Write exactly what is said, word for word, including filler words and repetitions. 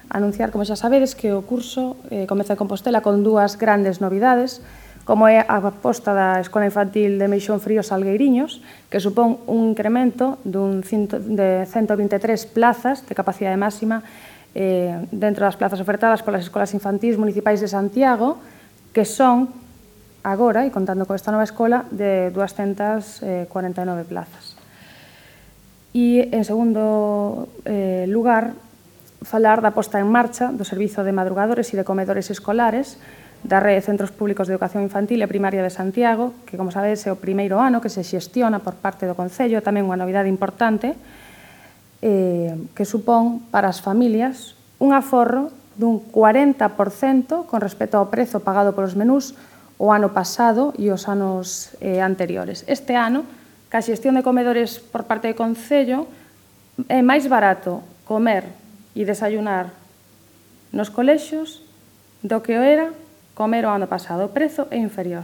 anunciar, como xa sabedes, que o curso eh, comeza en Compostela con dúas grandes novidades, como é a aposta da Escola Infantil de Meixón Frío Salgueiriños, que supón un incremento dun de cento vinte e tres plazas de capacidade máxima eh, dentro das plazas ofertadas polas escolas infantís municipais de Santiago, que son, agora, e contando con esta nova escola, de duascentas cuarenta e nove plazas. E, en segundo eh, lugar, falar da posta en marcha do Servizo de Madrugadores e de Comedores Escolares da Rede de Centros Públicos de Educación Infantil e Primaria de Santiago, que, como sabedes, é o primeiro ano que se xestiona por parte do Concello, tamén unha novidade importante, eh, que supón para as familias un aforro dun cuarenta por cento con respecto ao prezo pagado polos menús o ano pasado e os anos eh, anteriores. Este ano, ca xestión de comedores por parte do Concello, é máis barato comer e desayunar nos colexios do que o era comer o ano pasado. O prezo é inferior.